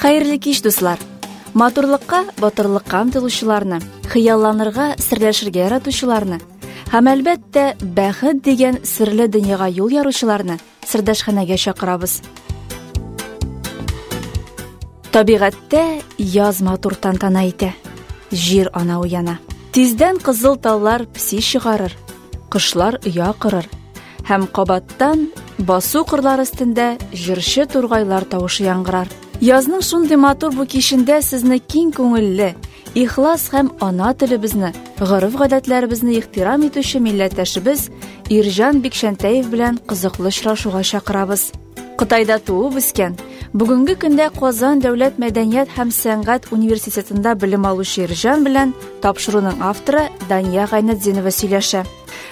Хәерле кич, дуслар! Матурлыкка, батырлыкка омтылучыларны, хыялланырга, серләшергә яратучыларны һәм, әлбәттә, бәхет дигән серле дөньяга юл яручыларны сердәшханәгә чакырабыз. Табигатьтә яз матур тантана итә. Җир ана уяна. Тиздән кызыл таллар пси чыгарыр, кошлар оя корыр һәм кабаттан басу кырлар өстендә җырчы тургайлар тавышы яңгырар. Язның шундый матур бу кичендә сезне киң күңелле, ихлас һәм ана телебезне, гореф-гадәтләребезне ихтирам итүче милләттәшебез Ирҗан Бикчәнтәев белән кызыклы очрашуга чакырабыз. Кытайда туып үскән, бүгенге көндә Казан дәүләт мәдәният һәм сәнгать университетында белем алучы Ирҗан белән тапшыруның авторы Дания Гайнетдинова сөйләшә.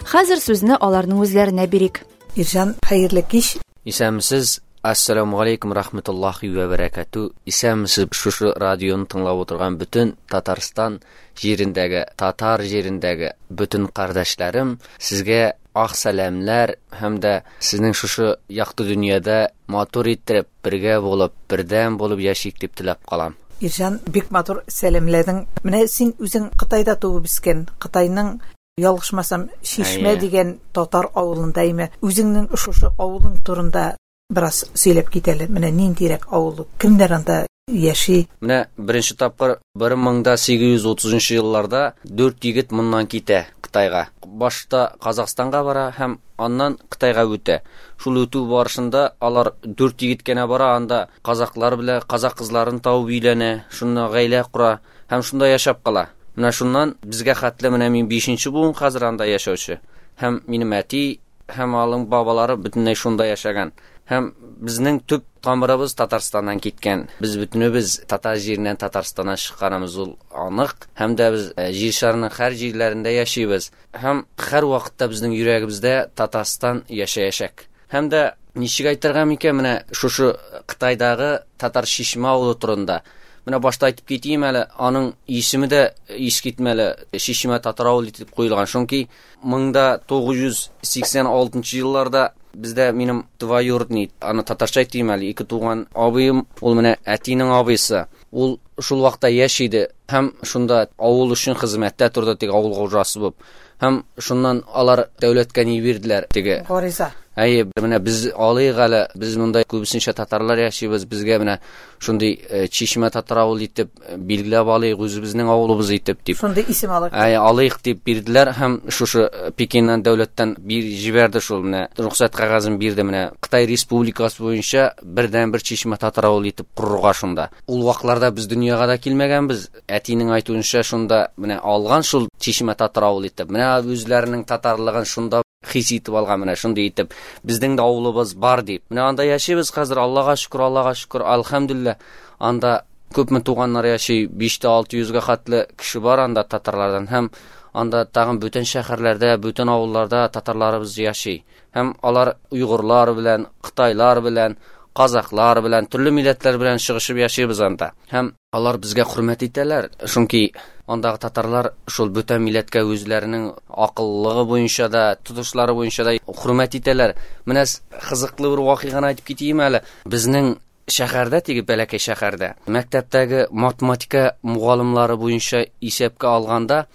Хәзер сүзне аларның үзләренә бирик. Ирҗан, хәерле кич. Исәнмесез, Ассаламу алейкум рахматуллахи вә бәрәкәтү. Исәнмесез, шушы радионы тыңлап утырган бөтен Татарстан җирендәге, татар җирендәге бөтен кардәшләрем, сезгә ак сәламләр һәм дә сезнең шушы якты дөньяда матур иттереп, бергә булып, бердәм булып яшик дип теләп калам. Ирҗан, бик матур сәламләдең. Менә син үзең Кытайда туып үскән, Кытайның, ялгышмасам, Чишмә дигән татар авылында име. Үзеңнең шушы авылың турында бераз сөйләп кит әле. Менә ниндирәк авыл, кемнәр анда яши? Менә беренче тапкыр 1830 елларда дүрт егет моннан китә Кытайга. Башта Казахстанга бара һәм аннан Кытайга үтә. Шул үтү барышында алар дүрт егет кенә бара, анда казаклар белән казак кызларын табып өйләнә, шунда гаилә кора һәм шунда яшәп кала. Менә шуннан безгә хәтле менә мин бишенче буын хәзер анда яшәүче. Һәм минем әти һәм алың бабалары бөтенләй шунда яшәгән. Һәм безнең төп тамырыбыз Татарстаннан киткән. Без бөтенебез татар җиреннән, Татарстаннан чыкканыбыз ул анык. Һәм дә без җир шарының һәр җирләрендә яшибез. Һәм һәр вакытта безнең йөрәгебездә Татарстан яшәячәк. Һәм дә ничек әйтергә микән менә шушы Кытайдагы Татар Чишмә авылы турында. Менә башта әйтеп китим әле, аның исеме дә искитмәле, Чишмә татар авылы дип куелган. Чөнки 1986 елларда бездә минем двоюродный, аны татарча әйтим әле, ике туган абыем, ул менә әтинең абыйсы. Ул шул вакытта яшь иде һәм шунда авыл өчен хезмәттә торды, теге авыл хуҗасы булып. Һәм шуннан алар дәүләткә ни бирделәр, теге гариза. Әйе, менә без алыйк әле, без монда күбесенчә татарлар яшибез, безгә менә шундый Чишмә татар авылы итеп билгеләп алыйк, үзебезнең авылыбыз итеп дип. Шундый исем алыйк. Әйе, алыйк дип бирделәр һәм шушы Пекиннан дәүләттән бир җибәрде шул менә рөхсәт кәгазен бирде менә Кытай Республикасы буенча бердән-бер Чишмә татар авылы итеп корырга шунда. Ул вакытларда без дөньяга да килмәгәнбез. Әтинең әйтүенчә, шунда менә алган шул Чишмә татар авылы итеп. Менә үзләренең татарлыгын шунда хис итеп алган, менә шундый итеп безнең дә авылыбыз бар дип. Менә анда яшибез хәзер, Аллага шөкер, Аллага шөкер, альхамдулилла. Анда күпме туганнар яши, 5-600 гә хәтле кеше бар анда татарлардан һәм анда тагын бүтән шәһәрләрдә, бүтән авылларда татарларыбыз яши. Һәм алар уйгырлар белән, кытайлар белән, казаклар белән, төрле милләтләр белән чыгышып яшибез анда. Һәм алар безгә хөрмәт итәләр, чөнки андагы татарлар шул бүтән милләткә үзләренең акыллылыгы буенча да, тотышлары буенча да хөрмәт итәләр. Менә кызыклы бер вакыйганы әйтеп китим әле. Безнең шәһәрдә, теге бәләкәй шәһәрдә, мәктәптәге математика мугалымлары буенча исәпкә алганда,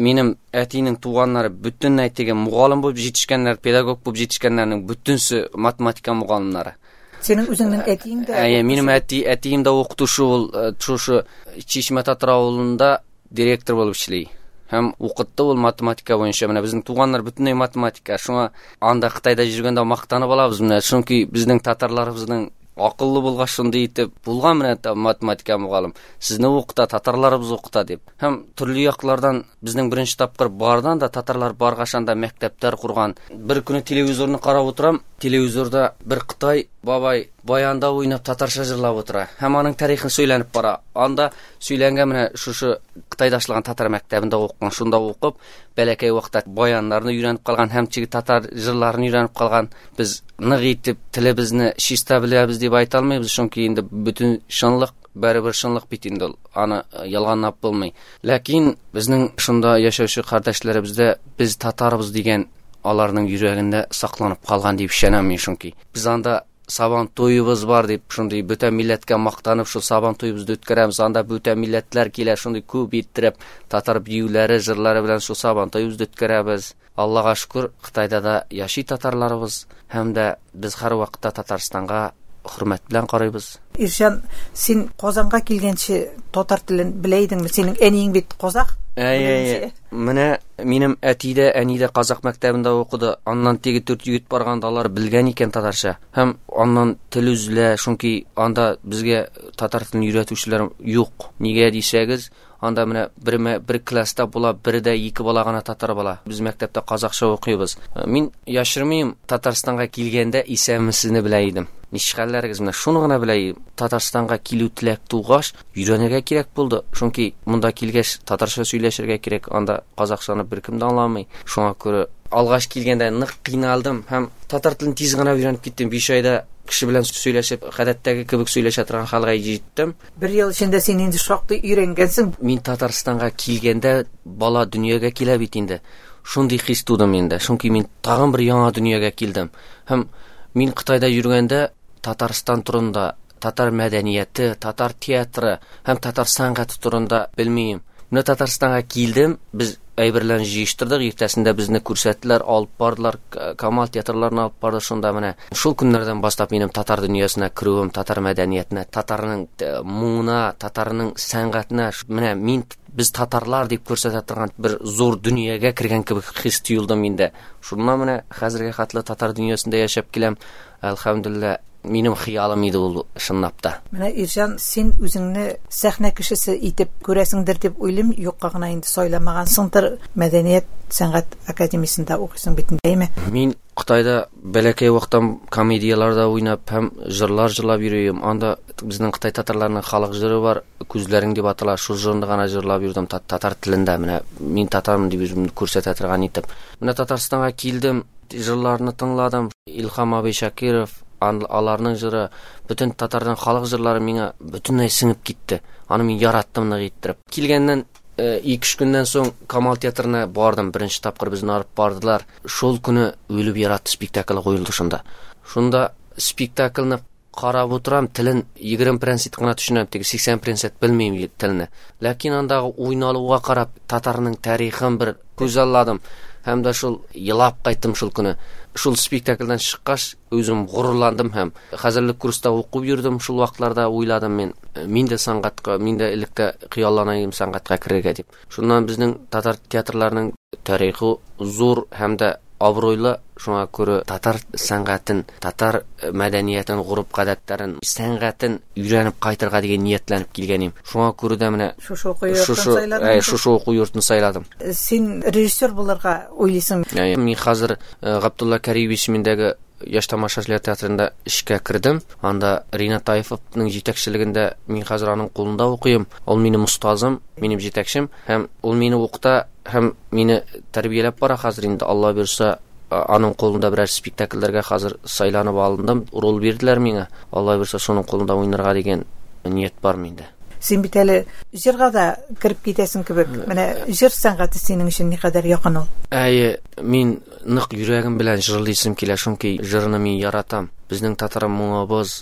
минем әтинең туганнары бөтенләй теге мугалым булып җитешкәннәр, педагог булып җитешкәннәрнең бөтенсе математика мугалымнары. Синең үзеңнең әтиең дә? Әйе, минем әти, әтием дә укытучы ул, шушы Чишмә татар авылында директор булып эшли. Һәм укытты ул математика буенча. Менә безнең туганнар бөтенләй математика. Шуңа анда Кытайда йөргәндә мактанып алабыз менә, чөнки безнең татарларыбызның акыллы булгач шундый итеп булган менә математика мөгаллим. Сезне укыта, татарларыбыз укыта дип. Һәм төрле яклардан безнең беренче тапкыр бардан да татарлар баргач анда мәктәпләр курган. Бер көне телевизорны карап утырам, телевизорда бер кытай бабай баянда уйнап татарча җырлап утыра. Һәм аның тарихын сөйләнеп бара. Анда сөйләнгән менә шушы Кытайда ачылган татар мәктәбендә укыган, шунда укып, бәләкәй вакытта баяннарны өйрәнеп калган һәм теге татар җырларын өйрәнеп калган. Без нык итеп телебезне чиста беләбез дип әйтә алмыйбыз, чөнки инде бөтен чынлык барыбер чынлык бит инде ул, аны ялганлап булмый. Ләкин безнең шунда яшәүче кардәшләребездә без татарбыз дигән аларның йөрәгендә сакланып калган дип ышанам мин, чөнки без анда Сабан туебыз бар дип, шундый бөтен милләткә мактанып, шул Сабан туебызны үткәрәбез. Анда бөтен милләтләр килә, шундый күп иттереп, татар биюләре, җырлары белән шул Сабан туебызны үткәрәбез. Аллага шөкер, Кытайда да яши татарларыбыз, һәм дә без һәрвакытта Татарстанга хөрмәт белән карыйбыз. Ирҗан, син Казанга килгәнче татар телен белә идеңме? Синең әниең бит казах. Әй, менә минем әти дә, әни дә казах мәктәбендә укыды. Аннан теге 4 егет барганда алар белгән икән татарча. Һәм аннан тел өзелә, чөнки анда безгә татар телен өйрәтүчеләр юк. Нигә дисәгез, анда менә бер класста була, бер дә ике бала гына татар бала. Без мәктәптә казахча укыйбыз. Мин яшермим, Татарстанга килгәндә исәнмесезне белә идем. Ничек хәлләрегез, менә шуны гына белә идем. Татарстанга килү теләк тугач, өйрәнергә кирәк булды. Чөнки монда килгәч татарча сөйләшергә кирәк, анда казахчаны беркем дә аңламый. Шуңа күрә алгач килгәндә нык кыйналдым һәм татар телен тиз генә өйрәнеп киттем. 5 айда кеше белән сөйләшеп, гадәттәге кебек сөйләшә торган хәлгә җиттем. Бер ел эчендә син инде шактый өйрәнгәнсең. Мин Татарстанга килгәндә бала дөньяга килә бит инде. Шундый хис туды миндә. Чөнки мин тагын бер яңа дөньяга килдем. Һәм мин Кытайда йөргәндә Татарстан турында, татар мәдәнияте, татар театры һәм татар сәнгате турында белмим. Менә Татарстанга килдем, без әйберләрне җыештырдык, иртәсендә безне күрсәттеләр, алып бардылар, Камал театрларына алып барды. Шунда менә шул көннәрдән башлап минем татар дөньясына керүем, татар мәдәниятенә, татарның моңына, татарның сәнгатенә, менә мин без татарлар дип күрсәтә торган бер зур дөньяга кергән кебек хис тоелды миндә. Шуннан менә хәзергә хәтле татар дөньясында яшәп киләм. Әлхәмдүлилләһ, минем хыялым иде ул чынлап та. Менә Ирҗан, син үзеңне сәхнә кешесе итеп күрәсеңдер дип уйлыйм, юкка гына инде сайламагансыңдыр. Мәдәният сәнгать академиясендә укыйсың бит инде, әйме? Мин Кытайда бәләкәй вакыттан комедияләрдә уйнап һәм җырлар җырлап йөрим. Анда безнең Кытай татарларының халык җыры бар, Күзләрең дип атала. Шул җырны гына җырлап йөрдем татар телендә. Менә мин татармын дип үземне күрсәтә торган итеп. Менә Татарстанга килдем, җырларны тыңладым. Илһам абый Шакиров, аларның җыры, бөтен татарның халык җырлары миңа бөтенләй сеңеп китте. Аны мин яраттым нык иттереп. Килгәннән 2-3 көннән соң Камал театрына бардым. Беренче тапкыр безне алып бардылар. Шул көне Үлеп яратты спектакле куелды шунда. Шунда спектакльне карап утырам, телен 20% кына төшенәм, теге 80% белмим телне. Ләкин андагы уйналуга карап, татарның тарихын бер күзалладым. Һәм дә шул елап кайттым шул көне. Шул спектакльдән чыккач, үзем горурландым һәм хәзерлек курста укып йөрдем. Шул вакытларда уйладым мин, мин дә сәнгатькә, мин дә электә хыяллана идем сәнгатькә керергә дип. Шуннан безнең татар театрларының тарихы зур һәм дә абруйлы, шуңа күрә татар сәнгатен, татар мәдәниятен, гореф-гадәтләрен, сәнгатен өйрәнеп кайтырга дигән ниятләнеп килгән идем. Шуңа күрә дә менә шушы уку йортын сайладым. Шушы уку йортын сайладым. Син режиссер булырга уйлыйсың? Мин хәзер Габдулла Кариев исемендәге Яшь тамашачылар театрында эшкә кердем. Анда Ринат Таифовның җитәкчелегендә мин хәзер аның кулында укыйм. Ул минем остазым, минем җитәкчем һәм ул мине укыта һәм мине тәрбияләп бара хәзер инде. Алла бирса, аның кулында берәр спектакльләргә хәзер сайланып алындым. Роль бирделәр миңа. Алла бирса, шуның кулында уйнарга дигән ният бар миндә. Син бит әле җырга да кереп китәсең кебек. Менә җыр сәнгате синең өчен никадәр якын ул? Әйе, мин нык йөрәгем белән җырлыйсым килә, чөнки җырны мин яратам. Безнең татар моңыбыз,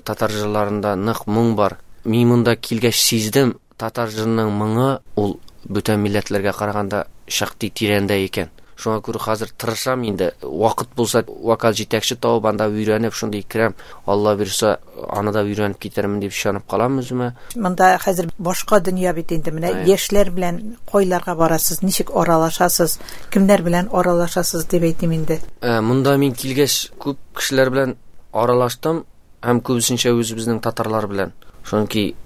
татар җырларында нык моң бар. Мин монда килгәч сиздем, татар җырының моңы ул бүтән милләтләргә караганда шактый тирәндә икән. Шуңа күрә хәзер тырышам инде. Вакыт булса, вокал җитәкче табып, анда өйрәнеп, шундый керәм. Алла бирса, аны да өйрәнеп китермен дип ышанып калам үземә. Монда хәзер башка дөнья бит инде. Менә яшьләр белән кайларга барасыз, ничек аралашасыз, кемнәр белән аралашасыз дип әйтим инде. Монда мин килгәч күп кешеләр белән аралаштым һәм күбесенчә үзебезнең татарлар белән. Чөнки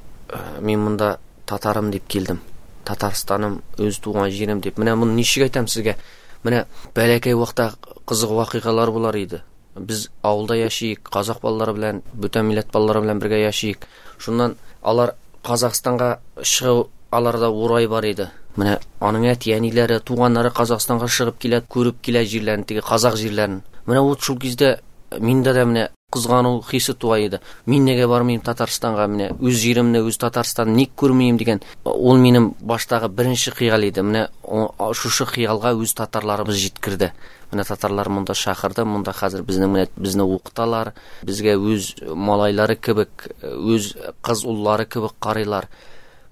мин монда татарым дип килдем. Татарстаным, үз туган җирем дип. Менә моны ничек әйтәм сезгә? Менә бәләкәй вакытта кызык вакыйгалар булар иде. Без авылда яшик, казах балалары белән, бүтән милләт балалары белән бергә яшик. Шуннан алар Казахстанга чыгу аларда урай бар иде. Менә аның әти-әниләре, туганнары Казахстанга чыгып килә, күреп килә җирләрен, теге казах җирләрен. Менә вот шул кездә миндә дә менә Кызгану хисе туа иде. Мин нигә бармыйм Татарстанга, менә үз җиремне, үз Татарстанны ник күрмим дигән. Ул минем баштагы беренче хыял иде. Менә шушы хыялга үз татарларыбыз җиткерде. Менә татарлар монда чакырды, монда хәзер безнең менә безне укыталар, безгә үз малайлары кебек, үз кыз уллары кебек карыйлар.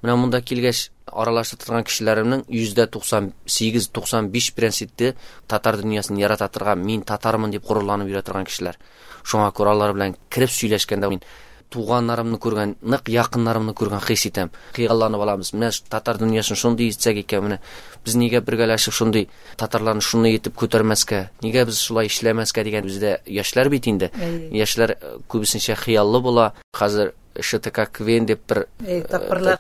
Менә монда килгәч аралаша торган кешеләремнең 98-95 проценты татар дөньясын ярата торган, мин татармын дип горурланып йөрә торган кешеләр. Шуңа күрә алар белән кереп сөйләшкәндә мин туганнарымны күргән, нык якыннарымны күргән хис итәм. Хыялланып алабыз. Менә татар дөньясын шундый итсәк икән, менә без нигә бергәләшеп шундый татарларны шундый итеп күтәрмәскә, нигә без шулай эшләмәскә дигән бездә яшьләр бит инде. Яшьләр күбесенчә хыяллы була. Хәзер ШТК Квен дип бер тапкырлар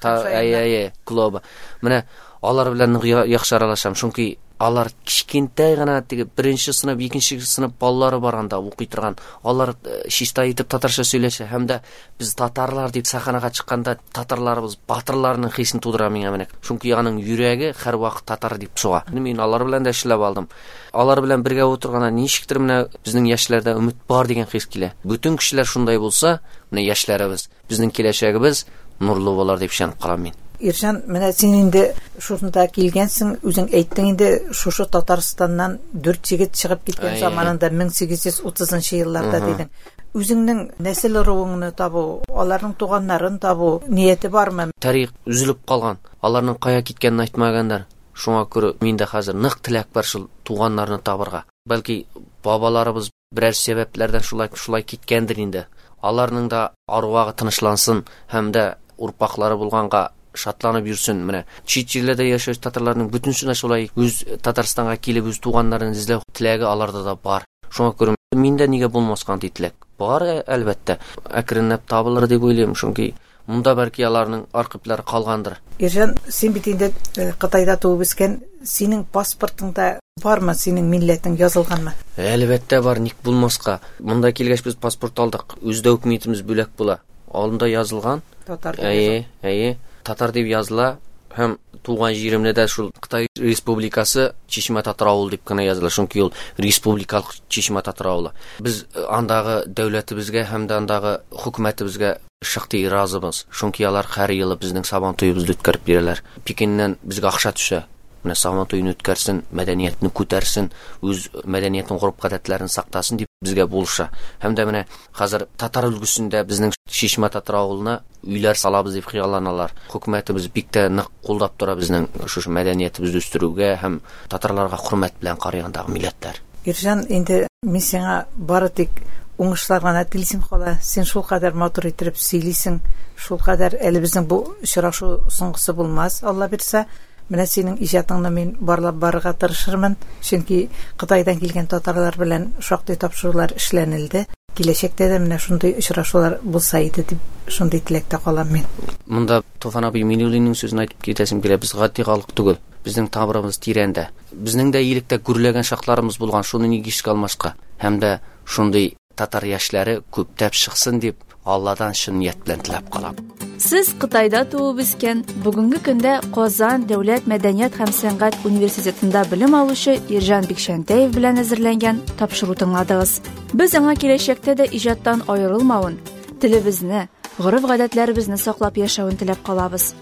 клубы. Менә алар белән яхшы аралашам, чөнки алар кечкентай гына теге беренче сыйныф, икенче сыйныф балалары бар анда укый торган. Алар чиста итеп татарча сөйләшә һәм дә без татарлар дип сәхнәгә чыкканда татарларыбыз батырларның хисен тудыра миңа менә. Чөнки аның йөрәге һәрвакыт татар дип суга. Мин алар белән дә эшләп алдым. Алар белән бергә утырганда ничектер менә безнең яшьләрдә өмет бар дигән хис килә. Бүтән кешеләр шундай булса, менә яшьләребез, безнең киләчәгебез нурлы булыр дип ышанып калам мин. Иржан, менә син инде шушында килгәнсең, үзең әйттең инде, шушы Татарстаннан 4 егет чыгып киткән заманында 1830 елларда дидең. Үзеңнең нәсел ыруыңны табу, аларның туганнарын табу нияте бармы? Тарих өзелеп калган. Аларның кая киткәнен әйтмәгәннәр. Шуңа күрә миндә хәзер нык теләк бар шул туганнарны табырга. Бәлки бабаларыбыз берәр сәбәпләрдән шулай киткәндер инде. Аларның да арвагы тынычлансын һәм дә урпаклары булганга шатланып йөрсен. Менә чит җирләрдә яшәүче татарларның бөтенесенә шулай үз Татарстанга килеп үз туганнарын эзләү теләге аларда да бар. Шуңа күрә миндә нигә булмаска андый теләк? Бар, әлбәттә. Әкренләп табылыр дип уйлыйм, чөнки монда бәлки аларның архивлары калгандыр. Иржан, син бит инде Кытайда туып үскән, синең паспортыңда бармы, синең милләтең язылганмы? Әлбәттә бар, ник булмаска. Монда килгәч без паспорт алдык. Үз документыбыз бүләк була. Алында язылган. Татар дип Әйе, әйе. Татар дип языла һәм туган җиремдә дә шул Кытай Республикасы Чишмә татар авылы дип кенә языла, чөнки ул республикалык Чишмә татар авылы. Без андагы дәүләтебезгә һәм дә андагы хөкүмәтебезгә шактый разыбыз, чөнки алар һәр елы безнең Сабан туебызны үткәреп бирәләр. Пекиннән безгә акча төшә. Менә Сабан туен үткәрсен, мәдәниятне күтәрсен, үз мәдәниятен, гореф-гадәтләрен сактасын дип безгә булыша. Һәм дә менә хәзер татар өлкәсендә безнең Чишмә татар авылына өйләр салабыз дип хыялланалар. Хөкүмәтебез бик тә нык кулдап тора безнең шушы мәдәниятебезне үстерүгә һәм татарларга хөрмәт белән карый андагы милләтләр. Иржан, инде мин сиңа бары тик уңышлар гына телисем кала. Син шул кадәр матур итеп сөйлисең, шул кадәр әле безнең бу очрашу соңгысы булмас, Алла бирсә. Менә синең иҗатыңны мин барлап барырга тырышырмын, чөнки Кытайдан килгән татарлар белән шактый тапшырулар эшләнелде. Киләчәктә дә менә шундый очрашулар булса иде дип шундый теләктә калам мин. Монда Туфан абый Миннуллинның сүзен әйтеп китәсем килә. Без гади халык түгел. Безнең тамырыбыз тирәндә. Безнең дә илектә гөрләгән чакларыбыз булган, шуны нигә искә алмаска? Һәм дә шундый татар яшьләре күптәп чыксын дип Алладан чын ният белән теләп калам. Сез Кытайда туып үскән, бүгенге көндә Казан дәүләт мәдәният һәм сәнгать университетында белем алучы Иржан Бикчәнтәев белән әзерләнгән тапшыру тыңладыгыз. Без аңа киләчәктә дә иҗаттан аерылмавын, телебезне, гореф-гадәтләребезне саклап яшәвен теләп калабыз.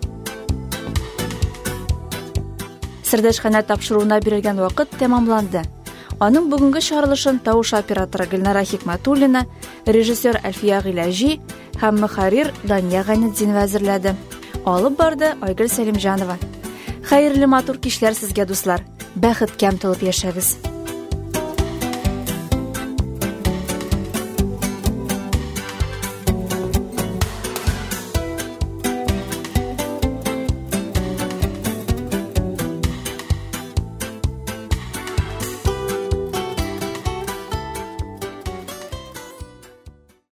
Сердәшханә тапшыруына бирелгән вакыт тәмамланды. Аның бүгенге чыгарылышын тавыш операторы Гөлнара Хикмәтуллина, режиссер Әлфия Гыйләҗи һәм мөхәррир Дания Гайнетдинова әзерләде. Алып барды Айгөл Сәлимҗанова. Хәерле матур кичләр сезгә, дуслар. Бәхеткә омтылып яшәгез.